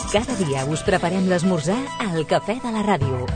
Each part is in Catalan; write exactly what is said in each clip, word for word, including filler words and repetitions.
Cada dia us preparem l'esmorzar al Cafè de la Ràdio.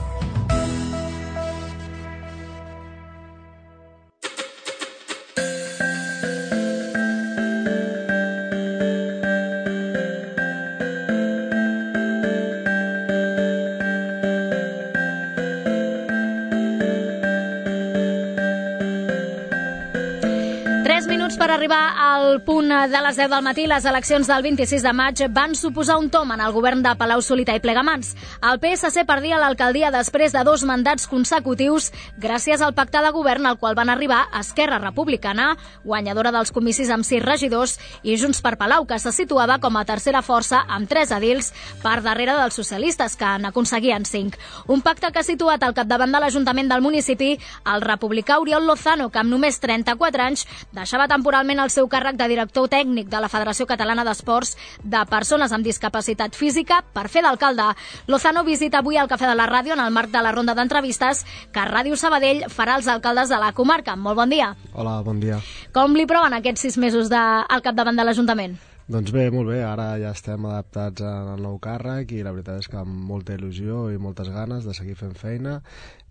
Per arribar al punt de les deu del matí, les eleccions del vint-i-sis de maig van suposar un tom en el govern de Palau-solità i Plegamans. El P S C perdia l'alcaldia després de dos mandats consecutius gràcies al pacte de govern al qual van arribar Esquerra Republicana, guanyadora dels comicis amb sis regidors, i Junts per Palau, que se situava com a tercera força amb tres edils per darrere dels socialistes, que n'aconseguien cinc. Un pacte que ha situat al capdavant de l'Ajuntament del municipi el republicà Oriol Lozano, que amb només trenta-quatre anys deixava temporalment el seu càrrec de director tècnic de la Federació Catalana d'Esports de Persones amb Discapacitat Física per fer d'alcalde. Lozano visita avui al Cafè de la Ràdio en el marc de la ronda d'entrevistes que Ràdio Sabadell farà als alcaldes de la comarca. Molt bon dia. Hola, bon dia. Com li proven aquests sis mesos de, al capdavant de l'Ajuntament? Doncs bé, molt bé, ara ja estem adaptats al nou càrrec i la veritat és que amb molta il·lusió i moltes ganes de seguir fent feina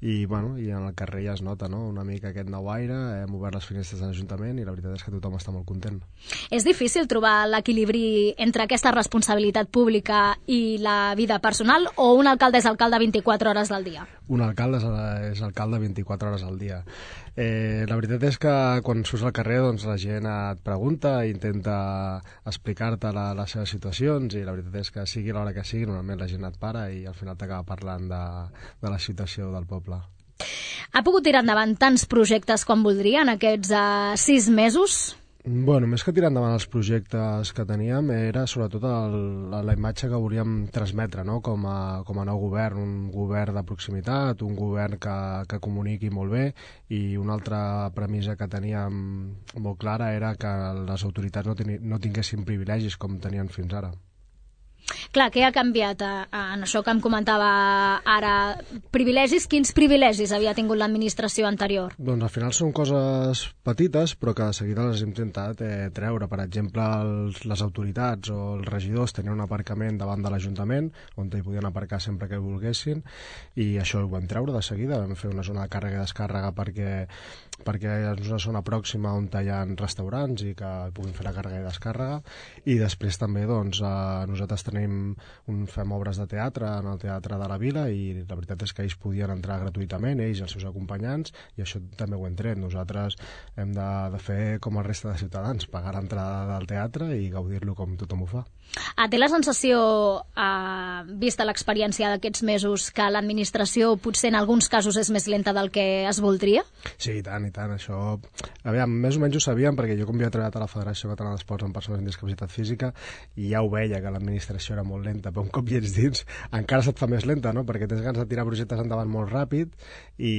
i, bueno, i en el carrer ja es nota, no?, una mica aquest nou aire, hem obert les finestres de l'Ajuntament i la veritat és que tothom està molt content. És difícil trobar l'equilibri entre aquesta responsabilitat pública i la vida personal, o un alcalde és alcalde vint-i-quatre hores del dia? Un alcalde és, és alcalde vint-i-quatre hores al dia. Eh, la veritat és que quan surts al carrer doncs, la gent et pregunta i intenta explicar-te la, les seves situacions, i la veritat és que sigui l'hora que sigui, normalment la gent et para i al final t'acaba parlant de, de la situació del poble. Ha pogut tirar endavant tants projectes com voldria en aquests uh, sis mesos? Bueno, més que tirar endavant els projectes que teníem era sobretot el, la imatge que volíem transmetre, no?, com a, com a nou govern, un govern de proximitat, un govern que, que comuniqui molt bé, i una altra premissa que teníem molt clara era que les autoritats no, teni, no tinguessin privilegis com tenien fins ara. Clar, què ha canviat en això que em comentava ara? Privilegis? Quins privilegis havia tingut l'administració anterior? Doncs al final són coses petites, però que de seguida les hem intentat eh, treure. Per exemple, els, les autoritats o els regidors tenien un aparcament davant de l'Ajuntament, on hi podien aparcar sempre que volguessin, i això ho vam treure de seguida. Vam fer una zona de càrrega i descàrrega perquè, perquè és una zona pròxima on hi ha restaurants i que puguin fer la càrrega i descàrrega. I després també doncs, eh, nosaltres tenim un, fem obres de teatre en el Teatre de la Vila, i la veritat és que ells podien entrar gratuïtament, ells i els seus acompanyants, i això també ho hem tret. Nosaltres hem de, de fer com el reste de ciutadans, pagar l'entrada del teatre i gaudir-lo com tothom ho fa. Ah, té la sensació, eh, vista l'experiència d'aquests mesos, que l'administració potser en alguns casos és més lenta del que es voldria? Sí, i tant, i tant. Això, aviam, més o menys ho sabíem, perquè jo com havia treballat a la Federació Catalana d'Esports amb persones amb discapacitat física, i ja ho veia, que l'administració era molt lenta, però un cop hi ets dins encara se't fa més lenta, no?, perquè tens ganes de tirar projectes endavant molt ràpid i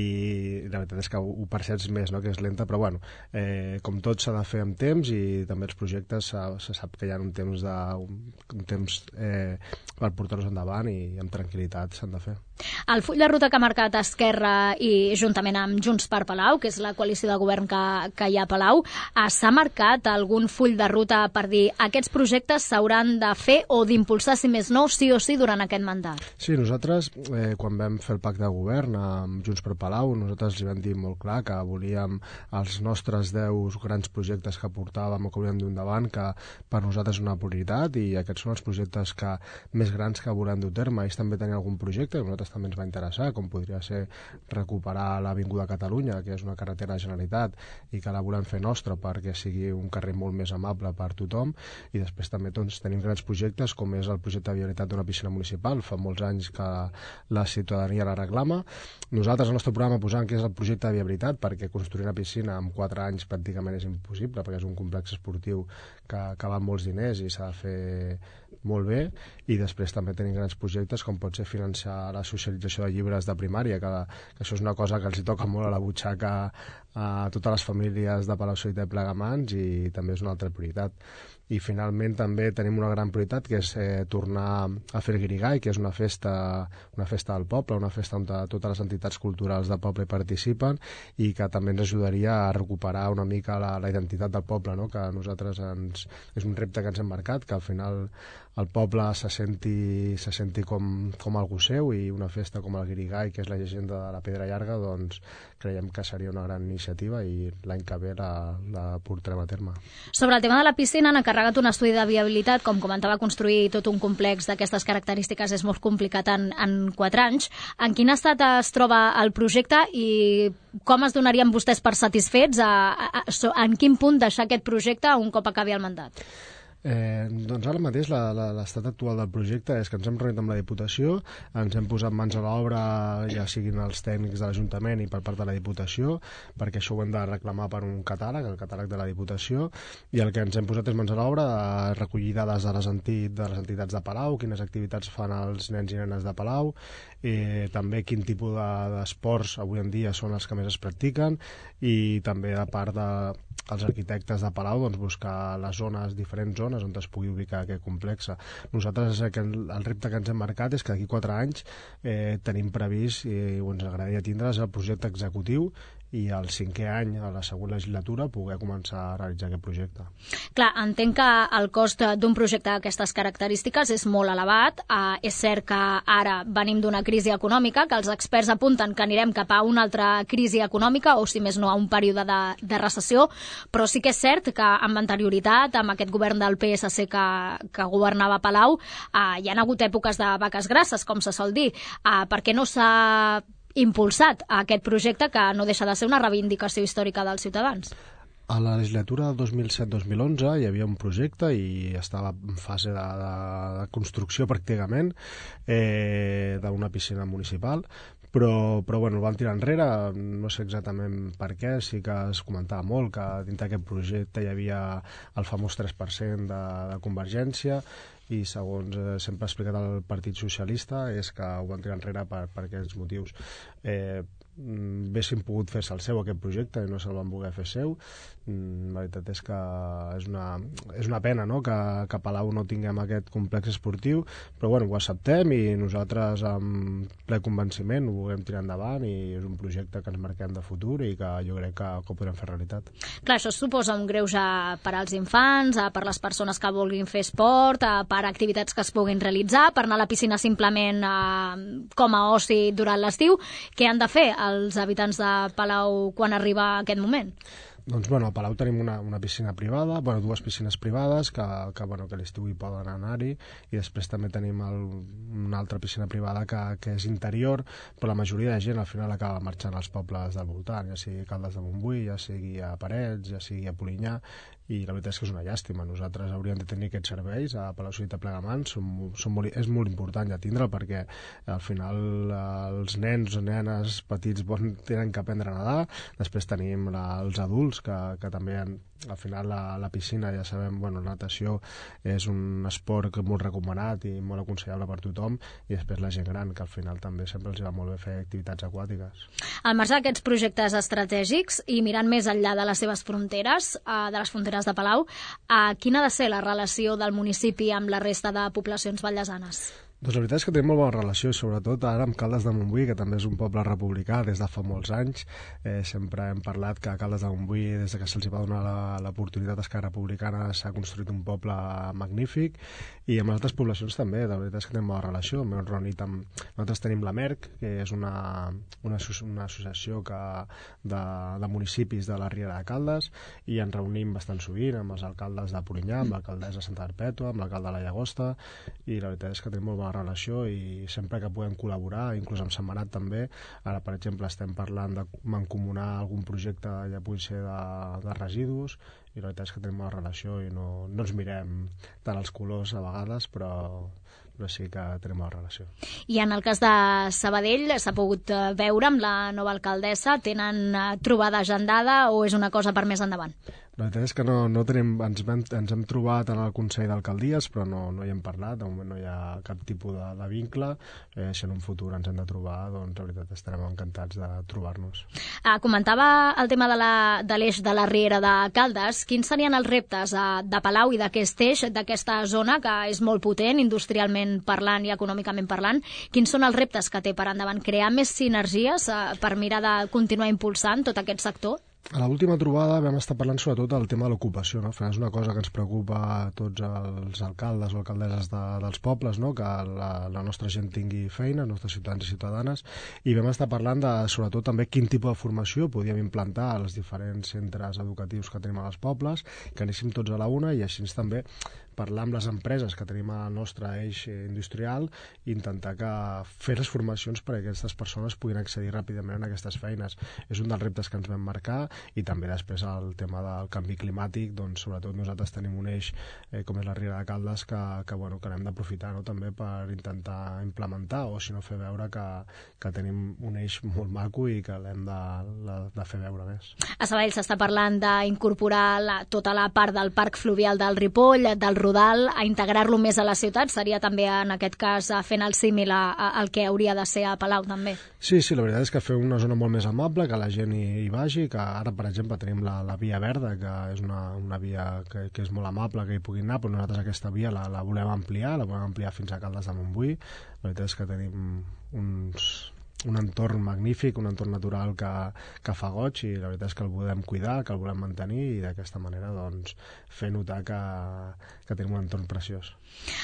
la veritat és que ho, ho perceps més, no?, que és lenta, però bueno, eh, com tot s'ha de fer amb temps, i també els projectes se sap que hi ha un temps, de, un, un temps eh, per portar-los endavant, i amb tranquil·litat s'han de fer. El full de ruta que ha marcat Esquerra i juntament amb Junts per Palau, que és la coalició de govern que, que hi ha a Palau, s'ha marcat algun full de ruta per dir aquests projectes s'hauran de fer o d'impulsar, si més no, sí o sí durant aquest mandat? Sí, nosaltres, eh, quan vam fer el pacte de govern amb Junts per Palau, nosaltres li vam dir molt clar que volíem els nostres deu grans projectes que portàvem o que volíem dur endavant, que per nosaltres és una prioritat, i aquests són els projectes que, més grans que volem dur a terme. Ells també tenien algun projecte, i nosaltres també ens va interessar, com podria ser recuperar l'Avinguda Catalunya, que és una carretera de Generalitat i que la volem fer nostra perquè sigui un carrer molt més amable per tothom. I després també doncs, tenim grans projectes, com és el projecte de viabilitat d'una piscina municipal. Fa molts anys que la ciutadania la reclama. Nosaltres al nostre programa posam que és el projecte de viabilitat, perquè construir una piscina en quatre anys pràcticament és impossible, perquè és un complex esportiu que, que val molts diners i s'ha de fer molt bé. I després també tenim grans projectes com pot ser financiar la socialització de llibres de primària, que, que això és una cosa que els hi toca molt a la butxaca a totes les famílies de Palau-solità i Plegamans, i també és una altra prioritat. I finalment també tenim una gran prioritat, que és eh, tornar a fer el Guirigall, que és una festa, una festa del poble, una festa on totes les entitats culturals del poble hi participen, i que també ens ajudaria a recuperar una mica la, la identitat del poble, no?, que a nosaltres ens, és un repte que ens hem marcat, que al final el poble se senti, se senti com, com algú seu, i una festa com el Guirigall, que és la llegenda de la Pedra Llarga, doncs creiem que seria una gran iniciativa i l'any que ve la, la portarem a terme. Sobre el tema de la piscina, han encarregat un estudi de viabilitat. Com comentava, construir tot un complex d'aquestes característiques és molt complicat en, en quatre anys. En quin estat es troba el projecte i com es donarien vostès per satisfets? A, a, a, en quin punt deixar aquest projecte un cop acabi el mandat? Eh, doncs ara mateix l'estat actual del projecte és que ens hem reunit amb la Diputació, ens hem posat mans a l'obra, ja siguin els tècnics de l'Ajuntament i per part de la Diputació, perquè això ho hem de reclamar per un catàleg, el catàleg de la Diputació, i el que ens hem posat és mans a l'obra, a recollir dades de les, entit, de les entitats de Palau, quines activitats fan els nens i nenes de Palau, eh, també quin tipus d'esports de, avui en dia són els que més es practiquen, i també a part de els arquitectes de Palau, doncs, buscar les zones, diferents zones on es pugui ubicar aquest complex. Nosaltres el, el repte que ens hem marcat és que d'aquí quatre anys eh, tenim previst, i eh, ens agradaria tindre's el projecte executiu, i al cinquè any, a la següent legislatura, poder començar a realitzar aquest projecte. Clar, entenc que el cost d'un projecte d'aquestes característiques és molt elevat. Uh, és cert que ara venim d'una crisi econòmica, que els experts apunten que anirem cap a una altra crisi econòmica, o si més no a un període de, de recessió, però sí que és cert que amb anterioritat, amb aquest govern del P S C que, que governava Palau, uh, hi ha hagut èpoques de vaques grasses, com se sol dir. Uh, per què no s'ha impulsat a aquest projecte, que no deixa de ser una reivindicació històrica dels ciutadans? A la legislatura del dos mil set dos mil onze hi havia un projecte i estava en fase de, de, de construcció pràcticament, eh, d'una piscina municipal, però, però bueno, el van tirar enrere, no sé exactament per què. Sí que es comentava molt que dintre d'aquest projecte hi havia el famós tres per cent de, de Convergència, i segons eh, sempre ha explicat el Partit Socialista és que ho van tirar enrere per, per aquests motius. Eh, haguessin pogut fer-se el seu aquest projecte i no se'l van voler fer seu. La veritat és que és una, és una pena, no?, que, que a Palau no tinguem aquest complex esportiu, però bueno, ho acceptem i nosaltres amb ple convenciment ho volem tirar endavant, i és un projecte que ens marquem de futur i que jo crec que, que ho podrem fer realitat. Clar, això suposa un greuge per als infants, per les persones que vulguin fer esport, per activitats que es puguin realitzar, per anar a la piscina simplement eh, com a oci durant l'estiu. Què han de fer els habitants de Palau quan arriba aquest moment? Doncs bueno, a Palau tenim una, una piscina privada, bueno, dues piscines privades que, que, bueno, que a l'estiu hi poden anar-hi, i després també tenim el, una altra piscina privada que, que és interior, però la majoria de gent al final acaba marxant als pobles del voltant, ja sigui Caldes de Montbui, ja sigui a Parets, ja sigui a Polinyà, i la veritat és que és una llàstima. Nosaltres hauríem de tenir aquests serveis a Palau-solità i Plegamans, són, són molt, és molt important ja tindre'l, perquè al final els nens o nenes petits bon, tenen que aprendre a nedar. Després tenim la, els adults que, que també han, al final la, la piscina, ja sabem, bueno, la natació és un esport molt recomanat i molt aconsellable per tothom, i després la gent gran, que al final també sempre els va molt bé fer activitats aquàtiques. Al marge d'aquests projectes estratègics i mirant més enllà de les seves fronteres, de les fronteres de Palau, quina ha de ser la relació del municipi amb la resta de poblacions vallesanes? Doncs la veritat és que tenim molt bona relació, sobretot ara amb Caldes de Montbui, que també és un poble republicà des de fa molts anys. Eh, sempre hem parlat que a Caldes de Montbui, des que se'ls va donar l'oportunitat a Esquerra Republicana, s'ha construït un poble magnífic, i amb les altres poblacions també. La veritat és que tenim bona relació. M'hem reunit amb... Nosaltres tenim la MERC, que és una, una, una associació que, de, de municipis de la Riera de Caldes, i ens reunim bastant sovint amb els alcaldes de Polinyà, amb l'alcaldessa Santa Perpètua, amb l'alcalde de la Llagosta, i la veritat és que tenim molt bona relació, i sempre que podem col·laborar, inclús amb Sentmenat també. Ara, per exemple, estem parlant de mancomunar algun projecte, ja pugui ser de, de residus, i la veritat és que tenim una relació i no, no ens mirem tant els colors a vegades, però, però sí que tenim una relació. I en el cas de Sabadell, s'ha pogut veure amb la nova alcaldessa? Tenen trobada agendada o és una cosa per més endavant? La veritat és que no, no tenim, ens, hem, ens hem trobat en el Consell d'Alcaldies, però no, no hi hem parlat. De moment no hi ha cap tipus de, de vincle. Eh, si en un futur ens hem de trobar, doncs la veritat estarem encantats de trobar-nos. Ah, comentava el tema de l'eix de, de la Riera de Caldes. Quins serien els reptes eh, de Palau i d'aquest eix, d'aquesta zona que és molt potent, industrialment parlant i econòmicament parlant? Quins són els reptes que té per endavant? Crear més sinergies eh, per mirar de continuar impulsant tot aquest sector? A l'última trobada vam estar parlant sobretot del tema de l'ocupació, no? Al final és una cosa que ens preocupa a tots els alcaldes o alcaldesses de, dels pobles, no? Que la, la nostra gent tingui feina, els nostres ciutadans i ciutadanes, i vam estar parlant de, sobretot, també quin tipus de formació podíem implantar als diferents centres educatius que tenim als pobles, que anéssim tots a la una, i així també parlar amb les empreses que tenim al nostre eix industrial i intentar que fer les formacions perquè aquestes persones puguin accedir ràpidament a aquestes feines. És un dels reptes que ens vam marcar, i també després el tema del canvi climàtic, doncs sobretot nosaltres tenim un eix eh, com és la Riera de Caldes que, que, bueno, que n'hem d'aprofitar, no? També per intentar implementar o si no fer veure que, que tenim un eix molt maco i que l'hem de, de, de fer veure més. A Sabadell s'està parlant d'incorporar la, tota la part del parc fluvial del Ripoll, del Rodal, a integrar-lo més a la ciutat. Seria també en aquest cas fent el símil al que hauria de ser a Palau també. Sí, sí, la veritat és que fer una zona molt més amable, que la gent hi, hi vagi, que ara per exemple tenim la, la via verda, que és una, una via que, que és molt amable, que hi puguin anar, però nosaltres aquesta via la, la volem ampliar, la volem ampliar fins a Caldes de Montbui. La veritat és que tenim uns... un entorn magnífic, un entorn natural que, que fa goig, i la veritat és que el volem cuidar, que el volem mantenir, i d'aquesta manera doncs, fer notar que, que tenim un entorn preciós.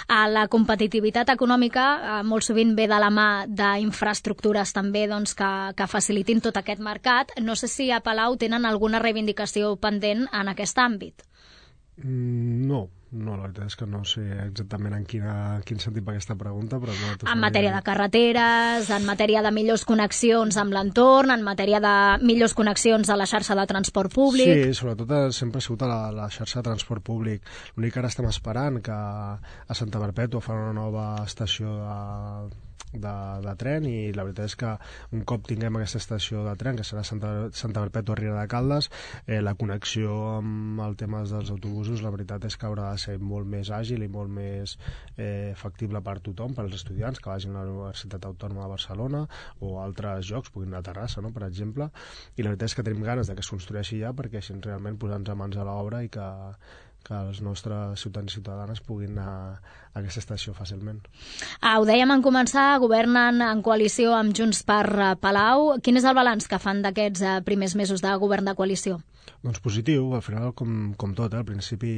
La competitivitat econòmica molt sovint ve de la mà d'infraestructures també doncs, que, que facilitin tot aquest mercat. No sé si a Palau tenen alguna reivindicació pendent en aquest àmbit. No, no, la veritat és que no sé exactament en, quina, en quin sentit va aquesta pregunta, però no... En matèria de carreteres, en matèria de millors connexions amb l'entorn, en matèria de millors connexions a la xarxa de transport públic... Sí, sobretot sempre ha sigut a la, la xarxa de transport públic. L'únic que ara estem esperant que a Santa Perpètua fan una nova estació de... De, de tren, i la veritat és que un cop tinguem aquesta estació de tren, que serà Santa, Santa Perpètua Riera de Caldes, eh, la connexió amb el tema dels autobusos, la veritat és que haurà de ser molt més àgil i molt més eh, factible per tothom, per als estudiants que vagin a la Universitat Autònoma de Barcelona o a altres llocs, puguin anar a Terrassa, no?, per exemple, i la veritat és que tenim ganes de que es construeixi ja, perquè així realment posar-nos a mans a l'obra i que que els nostres ciutadans i ciutadanes puguin anar a aquesta estació fàcilment. Ah, ho dèiem en començar, governen en coalició amb Junts per Palau. Quin és el balanç que fan d'aquests primers mesos de govern de coalició? Doncs positiu, al final com, com tot, eh? Al principi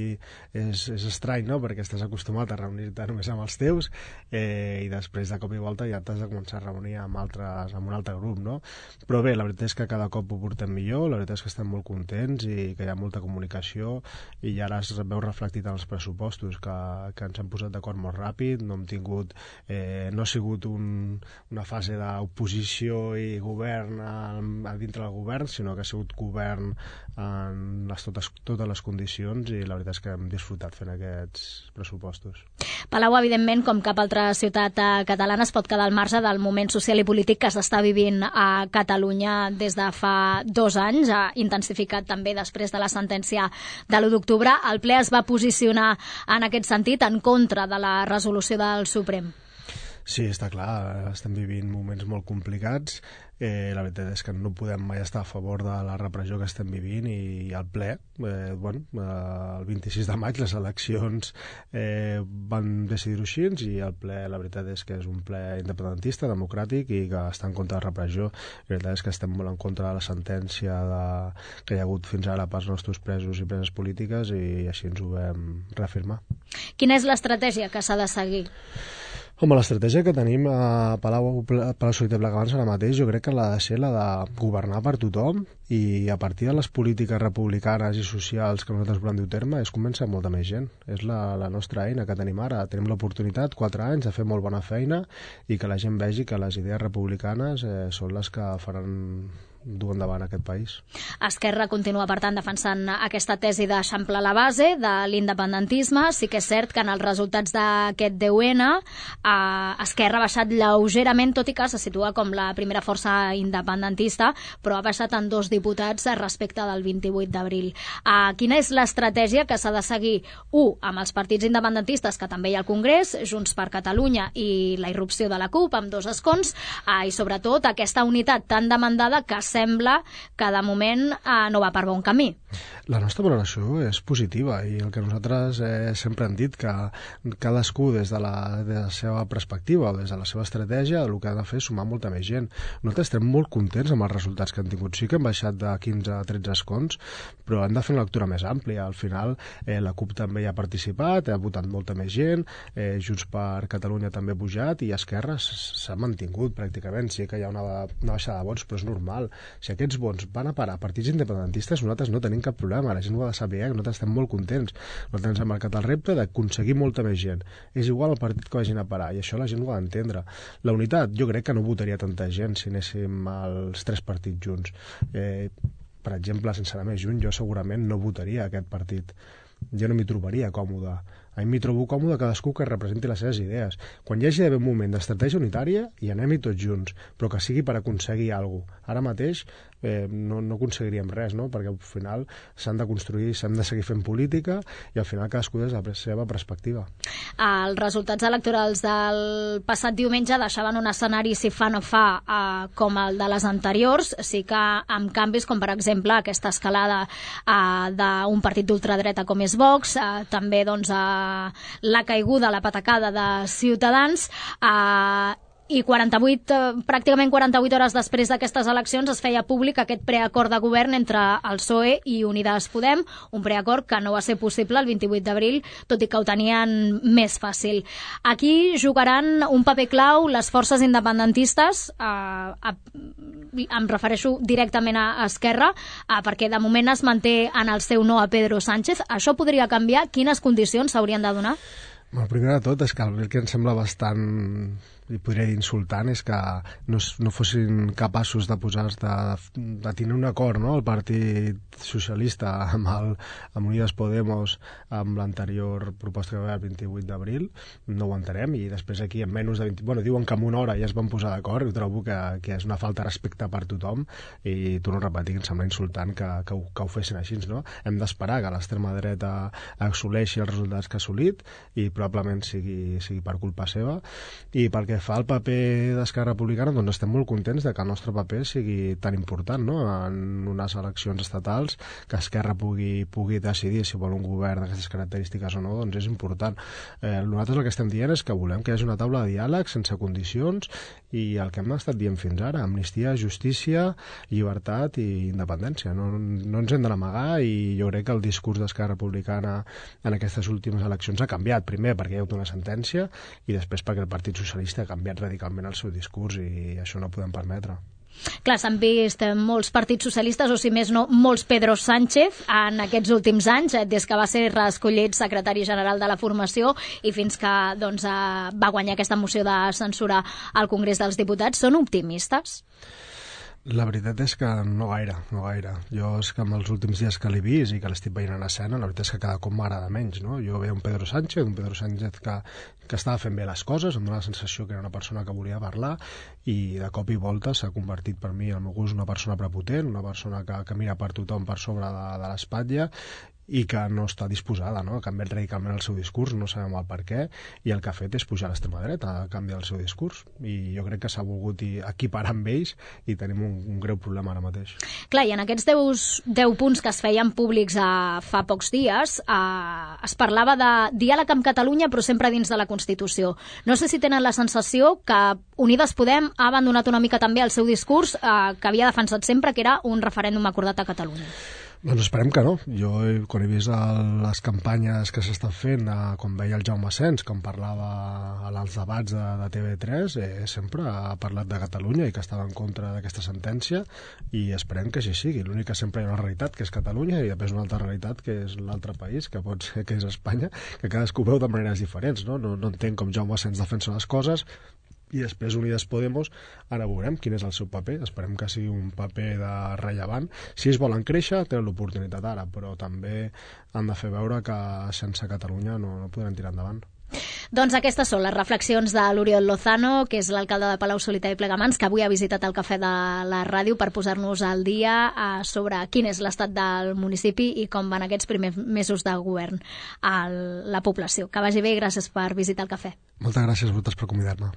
és, és estrany, no?, perquè estàs acostumat a reunir-te només amb els teus eh, i després de cop i volta ja t'has de començar a reunir amb, altres, amb un altre grup, no? Però bé, la veritat és que cada cop ho portem millor, la veritat és que estem molt contents i que hi ha molta comunicació, i ara es veu reflectit en els pressupostos que, que ens hem posat d'acord molt ràpid, no hem tingut eh, no ha sigut un, una fase d'oposició i govern a, a dintre del govern, sinó que ha sigut govern en les, totes, totes les condicions, i la veritat és que hem disfrutat fent aquests pressupostos. Palau, evidentment, com cap altra ciutat catalana, es pot quedar al marge del moment social i polític que s'està vivint a Catalunya des de fa dos anys, ha intensificat també després de la sentència de l'u d'octubre. El ple es va posicionar en aquest sentit en contra de la resolució del Suprem. Sí, està clar, estem vivint moments molt complicats. Eh, la veritat és que no podem mai estar a favor de la repressió que estem vivint, i al ple, eh, bueno, eh, el vint-i-sis de maig les eleccions eh, van decidir-ho així, i el ple, la veritat és que és un ple independentista, democràtic, i que està en contra de la repressió. La veritat és que estem molt en contra de la sentència de, que hi ha hagut fins ara pels nostres presos i preses polítiques, i així ens ho vam reafirmar. Quina és l'estratègia que s'ha de seguir? Home, l'estratègia que tenim a Palau, Palau Solità i Plegamans ara mateix, jo crec que l'ha de ser la de governar per tothom, i a partir de les polítiques republicanes i socials que nosaltres volem dur a terme és convèncer molta més gent. És la, la nostra eina que tenim ara. Tenim l'oportunitat, quatre anys, de fer molt bona feina, i que la gent vegi que les idees republicanes eh, són les que faran dur endavant aquest país. Esquerra continua, per tant, defensant aquesta tesi d'eixamplar la base de l'independentisme. Sí que és cert que en els resultats d'aquest deu ene eh, Esquerra ha baixat lleugerament, tot i que se situa com la primera força independentista, però ha baixat en dos diputats respecte del vint-i-vuit d'abril. Eh, quina és l'estratègia que s'ha de seguir? U, amb els partits independentistes, que també hi ha al Congrés, Junts per Catalunya i la irrupció de la CUP, amb dos escons, eh, i sobretot aquesta unitat tan demandada que sembla que de moment eh, no va per bon camí. La nostra valoració és positiva i el que nosaltres eh, sempre hem dit que cadascú des de la, de la seva perspectiva o des de la seva estratègia el que ha de fer és sumar molta més gent. Nosaltres estem molt contents amb els resultats que han tingut. Sí que hem baixat de quinze a tretze escons, però hem de fer una lectura més àmplia. Al final eh, la CUP també hi ha participat, ha votat molta més gent, eh, Junts per Catalunya també ha pujat i Esquerra s'ha mantingut pràcticament. Sí que hi ha una, una baixada de vots, però és normal. Si aquests vots van a parar a partits independentistes, nosaltres no tenim cap problema. La gent ho ha de saber, eh? Nosaltres estem molt contents. Nosaltres ens hem marcat el repte d'aconseguir molta més gent. És igual el partit que vagin a parar, i això la gent ho ha d'entendre. La unitat, jo crec que no votaria tanta gent si anéssim els tres partits junts. Eh, per exemple, sense anar més junt, jo segurament no votaria aquest partit. Jo no m'hi trobaria còmode. A mi m'hi trobo còmode cadascú que representi les seves idees. Quan hi hagi d'haver un moment d'estratègia unitària, hi anem-hi tots junts, però que sigui per aconseguir alguna cosa. Ara mateix eh, no, no aconseguiríem res, no? Perquè al final s'han de construir, s'han de seguir fent política i al final cadascú des de la seva perspectiva. Els resultats electorals del passat diumenge deixaven un escenari, si fa no fa, eh, com el de les anteriors, sí que amb canvis com per exemple aquesta escalada eh, d'un partit d'ultradreta com és Vox, eh, també doncs eh, la caiguda, la patacada de Ciutadans, eh, i quaranta-vuit, pràcticament quaranta-vuit hores després d'aquestes eleccions es feia públic aquest preacord de govern entre el P S O E i Unides Podem, un preacord que no va ser possible el vint-i-vuit d'abril, tot i que ho tenien més fàcil. Aquí jugaran un paper clau les forces independentistes, eh, a, em refereixo directament a Esquerra, eh, perquè de moment es manté en el seu no a Pedro Sánchez. Això podria canviar? Quines condicions s'haurien de donar? Bueno, primer de tot és que el que em sembla bastant, li podria dir insultant, és que no, no fossin capaços de posar de, de tenir un acord, no? El Partit Socialista amb, el, amb Unides Podemos, amb l'anterior proposta que va haver el vint-i-vuit d'abril, no ho entenem, i després aquí en menys de vint... Bueno, diuen que en una hora ja es van posar d'acord, i trobo que, que és una falta de respecte per tothom, i torno a repetir que em sembla insultant que, que, ho, que ho fessin així, no? Hem d'esperar que l'extrema dreta assoleixi els resultats que ha assolit, i probablement sigui, sigui per culpa seva. I pel que fa al paper d'Esquerra Republicana, doncs estem molt contents de que el nostre paper sigui tan important, no? En unes eleccions estatals, que Esquerra pugui, pugui decidir si vol un govern d'aquestes característiques o no, doncs és important. Eh, nosaltres el que estem dient és que volem que hi hagi una taula de diàleg sense condicions, i el que hem estat dient fins ara, amnistia, justícia, llibertat i independència. No, no ens hem de n'amagar, i jo crec que el discurs d'Esquerra Republicana en aquestes últimes eleccions ha canviat. Primer perquè hi ha hagut una sentència, i després perquè el Partit Socialista ha canviat radicalment el seu discurs, i això no ho podem permetre. Clar, s'han vist molts partits socialistes, o si més no, molts Pedro Sánchez en aquests últims anys, des que va ser reescollit secretari general de la formació i fins que doncs, va guanyar aquesta moció de censura al Congrés dels Diputats. Són optimistes? La veritat és que no gaire, no gaire. Jo és que amb els últims dies que l'he vist i que l'estic veient en escena, la veritat és que cada cop m'agrada menys, no? Jo veia un Pedro Sánchez, un Pedro Sánchez que, que estava fent bé les coses, em dona la sensació que era una persona que volia parlar, i de cop i volta s'ha convertit per mi, al meu gust, una persona prepotent, una persona que, que mira per tothom per sobre de, de l'espatlla, i que no està disposada, no? Ha canviat radicalment el seu discurs, no sabem el per què, i el que ha fet és pujar a l'extrema dreta, a canviar el seu discurs, i jo crec que s'ha volgut equiparar amb ells, i tenim un, un greu problema ara mateix. Clar, i en aquests deu punts que es feien públics a, fa pocs dies, eh, es parlava de diàleg amb Catalunya, però sempre dins de la Constitució. No sé si tenen la sensació que Unides Podem ha abandonat una mica també el seu discurs eh, que havia defensat sempre, que era un referèndum acordat a Catalunya. Doncs esperem que no. Jo, quan he vist el, les campanyes que s'estan fent, eh, quan veia el Jaume Sens, quan parlava als debats de, de T V tres, eh, sempre ha parlat de Catalunya i que estava en contra d'aquesta sentència, i esperem que així sigui. L'únic que sempre hi ha una realitat, que és Catalunya, i després una altra realitat, que és l'altre país, que pot ser que és Espanya, que cadascú veu de maneres diferents, no? No, no entenc com Jaume Sens defensa les coses, i després Unides Podemos, ara veurem quin és el seu paper, esperem que sigui un paper de rellevant. Si ells volen créixer, tenen l'oportunitat ara, però també han de fer veure que sense Catalunya no, no podran tirar endavant. Doncs aquestes són les reflexions de l'Oriol Lozano, que és l'alcalde de Palau-solità i Plegamans, que avui ha visitat el Cafè de la Ràdio per posar-nos al dia eh, sobre quin és l'estat del municipi i com van aquests primers mesos de govern a la població. Que vagi bé i gràcies per visitar el Cafè. Moltes gràcies a vosaltres per convidar-me.